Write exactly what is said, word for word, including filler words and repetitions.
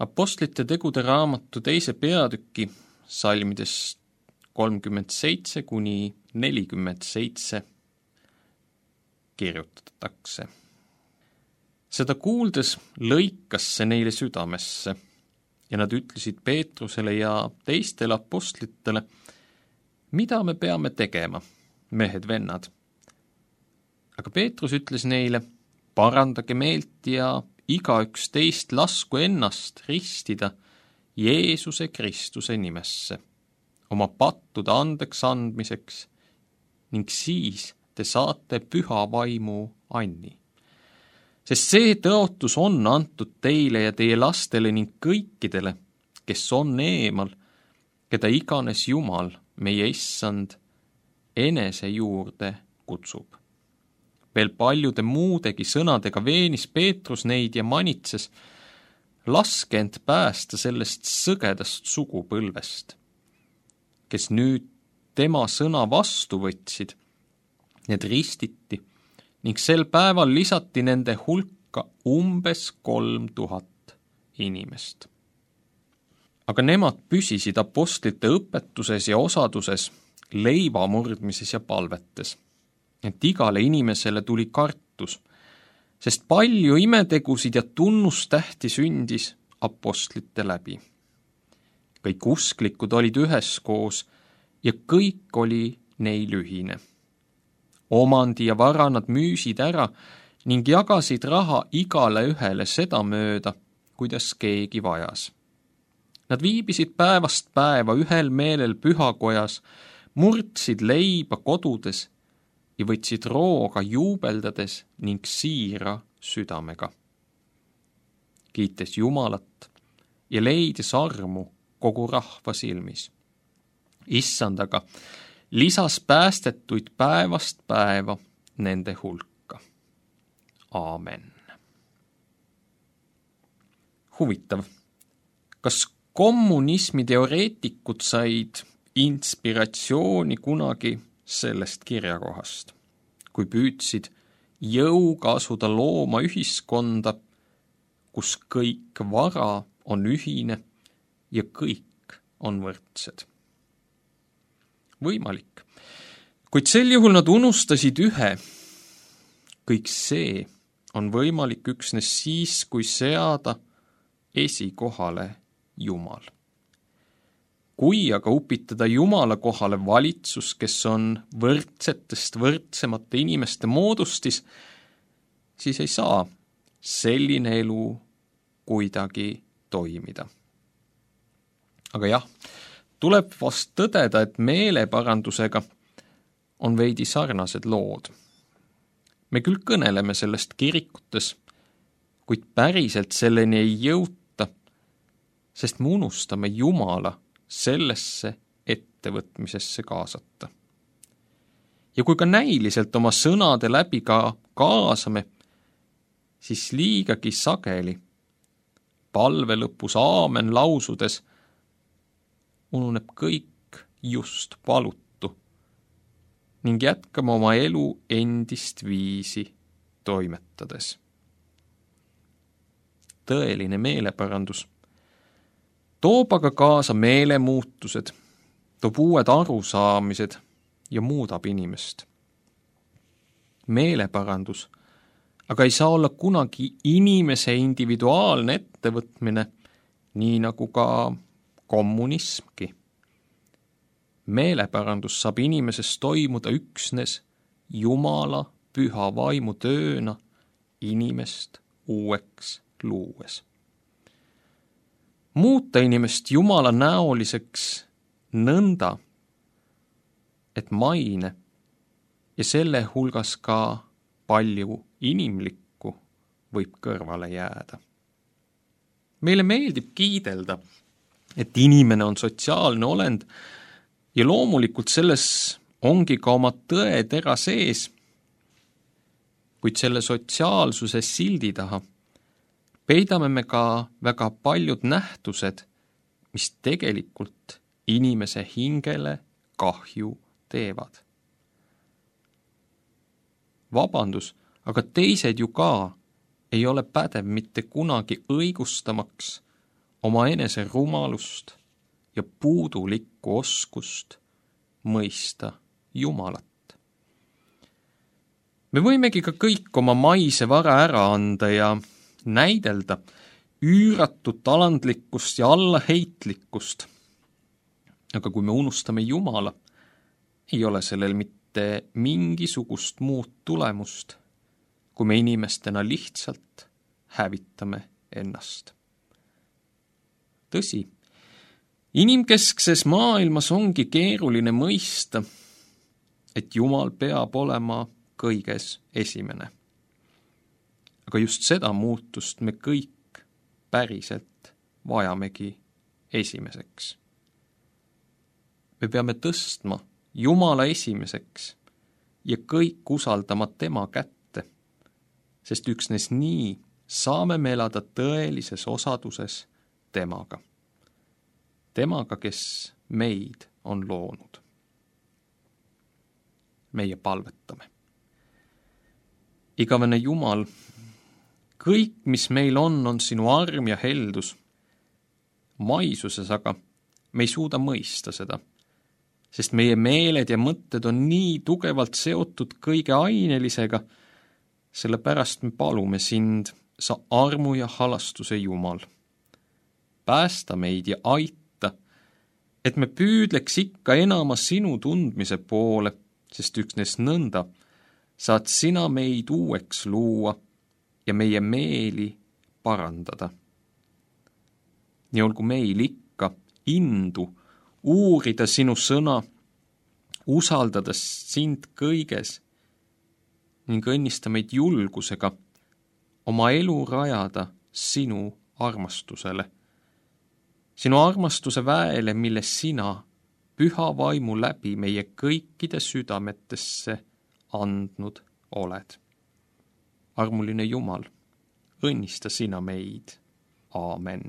Apostlite tegude raamatu teise peatüki salmidest kolmkümmend seitse kuni nelikümmend seitse kirjutatakse. Seda kuuldes lõikas see neile südamesse ja nad ütlesid Peetrusele ja teistele apostlitele, mida me peame tegema, mehed-vennad. Aga Peetrus ütles neile, parandage meelt ja igaüks teist lasku ennast ristida Jeesuse Kristuse nimesse, oma pattude andeks andmiseks, ning siis te saate püha vaimu anni. Sest see tõotus on antud teile ja teie lastele ning kõikidele, kes on eemal, keda iganes Jumal, meie issand, enese juurde kutsub. Veel paljude muudegi sõnadega veenis Peetrus neid ja manitses, laske end päästa sellest sõgedast sugupõlvest, kes nüüd tema sõna vastu võtsid, need ristiti ning sel päeval lisati nende hulka umbes kolm tuhat inimest. Aga nemad püsisid apostlite õpetuses ja osaduses, leiva murdmises ja palvetes, et igale inimesele tuli kartus, sest palju imetegusid ja tunnustähti sündis apostlite läbi. Kõik usklikud olid üheskoos ja kõik oli neil ühine. Omandi ja vara nad müüsid ära ning jagasid raha igale ühele seda mööda, kuidas keegi vajas. Nad viibisid päevast päeva ühel meelel pühakojas, murdsid leiba kodudes ja võtsid rooga juubeldades ning siira südamega. Kiites Jumalat ja leides armu kogu rahva silmis. Issand aga lisas päästetuid päevast päeva nende hulka. Aamen. Huvitav, kas kommunismi teoreetikud said inspiratsiooni kunagi sellest kirjakohast, kui püüdsid jõuga asuda looma ühiskonda, kus kõik vara on ühine ja kõik on võrdsed? Võimalik. Kuid sel juhul nad unustasid ühe. Kõik see on võimalik üksnes siis, kui seada esikohale Jumal. Kui aga upitada Jumala kohale valitsus, kes on võrdsetest võrdsemate inimeste moodustis, siis ei saa selline elu kuidagi toimida. Aga jah, tuleb vast tõdeda, et meeleparandusega on veidi sarnased lood. Me küll kõneleme sellest kirikutes, kuid päriselt selleni ei jõuta, sest me unustame Jumala sellesse ettevõtmisesse kaasata. Ja kui ka näiliselt oma sõnade läbi ka kaasame, siis liigagi sageli palve lõpus aamen lausudes ununeb kõik just palutu ning jätkame oma elu endist viisi toimetades. Tõeline meeleparandus toob aga kaasa meelemuutused, toob uued arusaamised ja muudab inimest. Meeleparandus aga ei saa olla kunagi inimese individuaalne ettevõtmine, nii nagu ka kommunismki. Meeleparandus saab inimeses toimuda üksnes Jumala püha vaimu tööna inimest uueks luues. Muuta inimest Jumala näoliseks nõnda, et maine ja selle hulgas ka palju inimlikku võib kõrvale jääda. Meile meeldib kiidelda, et inimene on sotsiaalne olend ja loomulikult selles ongi ka oma tõetera sees, kuid selle sotsiaalsuse sildi taha peidame me ka väga paljud nähtused, mis tegelikult inimese hingele kahju teevad. Vabandus, aga teised ju ka ei ole pädev mitte kunagi õigustamaks oma enese rumalust ja puudulikku oskust mõista Jumalat. Me võimegi ka kõik oma maise vara ära anda ja näidelda üüratut alandlikkust ja allaheitlikkust. Aga kui me unustame Jumala, ei ole sellel mitte mingisugust muud tulemust, kui me inimestena lihtsalt hävitame ennast. Tõsi, inimkeskses maailmas ongi keeruline mõista, et Jumal peab olema kõiges esimene. Aga just seda muutust me kõik päriselt vajamegi esimeseks. Me peame tõstma Jumala esimeseks ja kõik usaldama tema kätte, sest üksnes nii saame me elada tõelises osaduses temaga. Temaga, kes meid on loonud. Meie palvetame. Igavene Jumal, kõik, mis meil on, on sinu arm ja heldus. Maisuses aga me ei suuda mõista seda, sest meie meeled ja mõtted on nii tugevalt seotud kõige ainelisega, sellepärast me palume sind, sa armu ja halastuse Jumal. Päästa meid ja aita, et me püüdleks ikka enama sinu tundmise poole, sest üksnes nõnda saad sina meid uueks luua ja meie meeli parandada. Nii olgu meil ikka indu uurida sinu sõna, usaldades sind kõiges ning õnnista meid julgusega oma elu rajada sinu armastusele. Sinu armastuse väele, mille sina püha vaimu läbi meie kõikide südametesse andnud oled. Armuline Jumal, õnnista sina meid. Aamen.